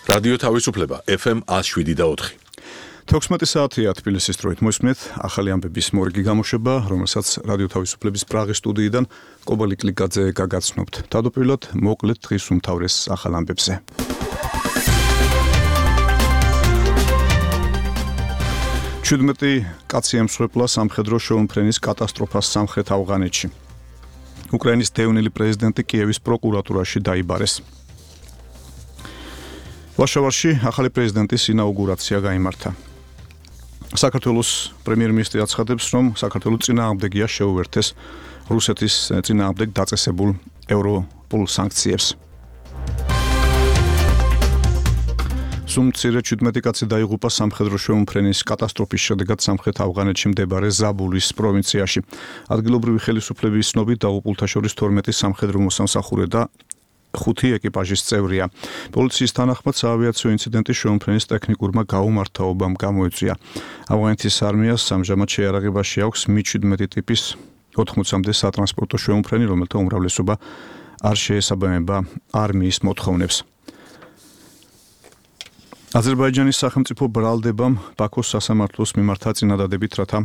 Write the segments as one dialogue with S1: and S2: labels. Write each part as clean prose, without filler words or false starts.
S1: რადიო თავისუფლება FM 107.4.
S2: 16 საათია თბილისის დროით მოსმენთ ახალი ამბების მორიგი გამოშვება, რომელსაც რადიო თავისუფლების პრაღის სტუდიიდან კობალი კლიკაძე გაგაცნობთ. თავდაპირველად მოკლედ დღის უმთავრეს ახალ ამბებზე. ჩუდმეტი კაცი ემსხვერპლა სამხედრო შეუმფრენის კატასტროფას სამხრეთ ავღანეთში. უკრაინის დევნილი პრეზიდენტი კიევის პროკურატურაში დაიბარეს. ვარშავაში ახალი პრეზიდენტის ინაუგურაცია გაიმართა. საქართველოს პრემიერ-მინისტრი აცხადებს, რომ საქართველოს წინააღმდეგია შეუერთეს რუსეთის წინააღმდეგ დაწესებულ ევროპულ სანქციებს. სუმცირე 17 კაცი დაიღუპა სამხედრო შეუმფრენის კატასტროფის შედეგად სამხრეთ ავღანეთში მდებარე ზაბულის პროვინციაში. ადგილობრივი ხელისუფლების ცნობით დაღუპულთა შორის 12 სამხედრო მოსამსახურე და 5 ეკიპაჟის წევრია. პოლიციის თანახმად საავიაციო ინციდენტი შეუმფრენის ტექნიკურმა გაუმართავობამ გამოიწვია. ავღანეთის არმიას ამჟამად შეიარაღებაში აქვს Mi-17 ტიპის 80-მდე სატრანსპორტო შეუმფრენი, რომელთა უმრავლესობა არ შეესაბამება არმიის მოთხოვნებს. აზერბაიჯანის სახელმწიფო ბრალდებამ ბაქოს სასამართლოს მიმართა წინადადებით, რათა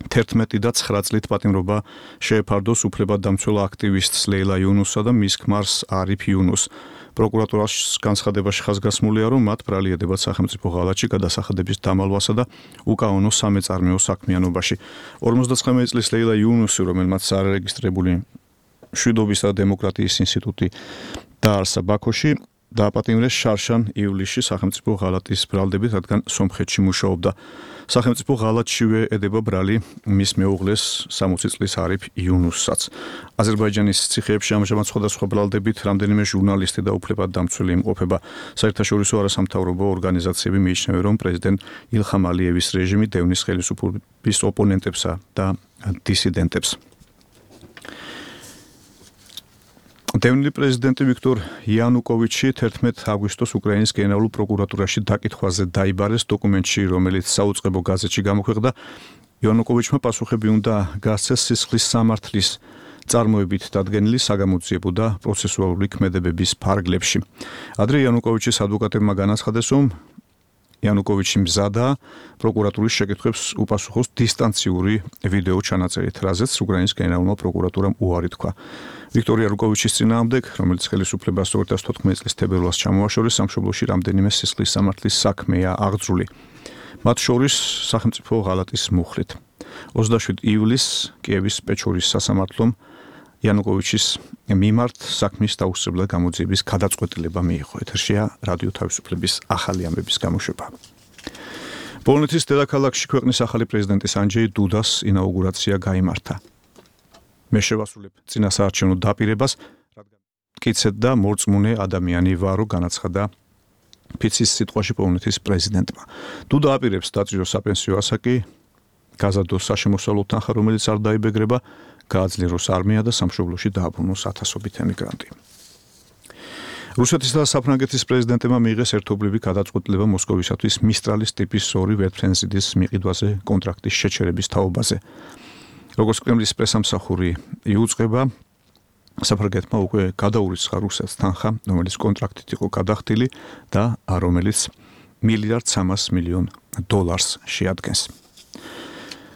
S2: 11 და 9 წლით პატიმრობა შეეფარდოს უფლებადდამცველ აქტივისტს ლეილა იუნუსსა და მის ქმარს არიფ იუნუსს. პროკურატურას განცხადებაში ხაზგასმულია, რომ მათ ბრალი ედებათ სახელმწიფო ღალატში გადასახადების დამალვასა და უკანონო სამეწარმეო საქმიანობაში. 59 წლის ლეილა იუნუსი, რომელმაც არარეგისტრირებული მშვიდობისა და დემოკრატიის ინსტიტუტი დაარსა ბაქოში, დააპატიმრეს შარშან ივლისში სახელმწიფო ღალატის ბრალდებით, რადგან სომხეთში მუშაობდა. სახელმწიფო ღალატშივე ედება ბრალი მის მეუღლეს 60 წლის არიფ იუნუსსაც. აზერბაიჯანის ციხეებში ამჟამად სხვადასხვა ბრალდებით რამდენიმე ჟურნალისტი და უფლებადდამცველი იმყოფება. საერთაშორისო არასამთავრობო ორგანიზაციები მიიჩნევენ, რომ პრეზიდენტ ილხამ ალიევის რეჟიმი დევნის ხელისუფლების ოპონენტებსა და დისიდენტებს. დევნილი პრეზიდენტი ვიქტორ იანუკოვიჩი 11 აგვისტოს უკრაინის გენერალურ პროკურატურაში დაკითხვაზე დაიბარეს. დოკუმენტში, რომელიც საუწყებო გაზეთში გამოქვეყნდა, იანუკოვიჩმა პასუხები უნდა გასცეს სისხლის სამართლის წარმოებით დადგენილი საგამოძიებო და პროცესუალური ქმედებების ფარგლებში. ადრე იანუკოვიჩის ადვოკატებმა განაცხადეს, რომ იანუკოვიჩი მზადაა პროკურატურის შეკითხვებს უპასუხოს დისტანციური ვიდეო ჩანაწერით, რაზეც უკრაინის გენერალურმა პროკურატურამ უარი თქვა. ვიქტორ იანუკოვიჩის წინააღმდეგ, რომელიც ხელისუფლებას 2014 წლის თებერვალს ჩამოაშორეს, სამშობლოში რამდენიმე სისხლის სამართლის საქმეა აღძრული. მათ შორის სახელმწიფო ღალატის მუხლით. 27 ივლისს კიევის პეჩორის სასამართლომ იანუკოვიჩის მიმართ საქმის დაუსწრებლად გამოძიების გადაწყვეტილება მიიღო. ეთერშია რადიო თავისუფლების ახალი ამბების გამოშვება. პოლონეთის დედაქალაქში ქვეყნის ახალი პრეზიდენტის ანჯეი დუდას ინაუგურაცია გაიმართა. მე შევასრულებ წინასაარჩევნო დაპირებას, რადგან მტკიცედ და მორწმუნე ადამიანი ვარო, განაცხადა ფიცის სიტყვაში პოლონეთის პრეზიდენტმა. დუდა აპირებს დაწიოს საპენსიო ასაკი, გაზადოს საშემოსავლო თანხა, რომელიც არ დაიბეგრება, გააძლიეროს არმია და სამშობლოში დააბრუნოს ათასობით ემიგრანტი. რუსეთის და საფრანგეთის პრეზიდენტებმა მიიღეს ერთობლივი გადაწყვეტილება მოსკოვისათვის მისტრალის ტიპის 2 ვერტმფრენზიდის მიყიდვაზე კონტრაქტის შეჩერების თაობაზე. როგორც კრემლის პრესამსახური იუწყება, საფრანგეთმა უკვე გადაურიცხა რუსეთს თანხა, რომელიც კონტრაქტით იყო გადახდილი და რომელიც $1.3 მილიარდ შეადგენს.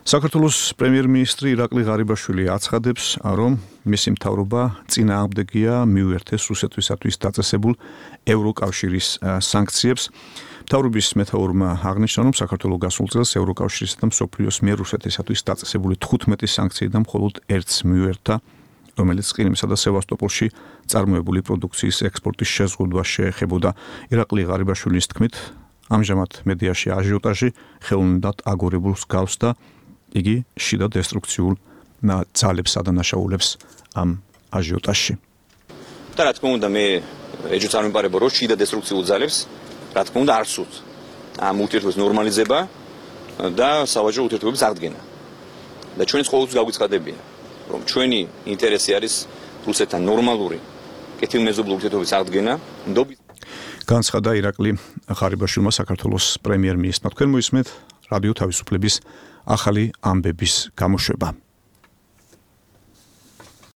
S2: საქართველოს პრემიერ-მინისტრი ირაკლი ღარიბაშვილი აცხადებს, რომ მისი მთავრობა წინააღმდეგია მიუერთეს რუსეთისათვის დაწესებულ ევროკავშირის სანქციებს. მთავრობის მეთაურმა აღნიშნა, რომ საქართველოს გასულ წელს ევროკავშირისა და მსოფლიოს მიერ რუსეთისათვის დაწესებული 15 სანქციიდან მხოლოდ ერთს მიუერთა, რომელიც ყირიმსა და სევასტოპოლში წარმოებული პროდუქციის ექსპორტის შეზღუდვას შეეხებოდა. ირაკლი ღარიბაშვილის თქმით, ამჟამად მედიაში აჟიოტაჟი ხელოვნურად აგორებულს გავს და იგი შიდა დესტრუქციულ ძალებს ადანაშაულებს ამ აჟიოტაჟში.
S3: და რა თქმა უნდა, მე ეჭვ წარმოვიდგინე, რომ შიდა დესტრუქციულ ძალებს, რა თქმა უნდა, არ სურთ ამ ურთიერთობის ნორმალიზება და სავაჭრო ურთიერთობების აღდგენა. და ჩვენც ყოველთვის გაგვიცხადებია, რომ ჩვენი ინტერესი არის რუსეთთან ნორმალური კეთილმეზობლური ურთიერთობის აღდგენა.
S2: განცხადა ირაკლი ღარიბაშვილმა საქართველოს პრემიერ-მინისტრმა. თქვენ მოისმენთ რადიო თავისუფლების ახალი ამბების გამოშვება.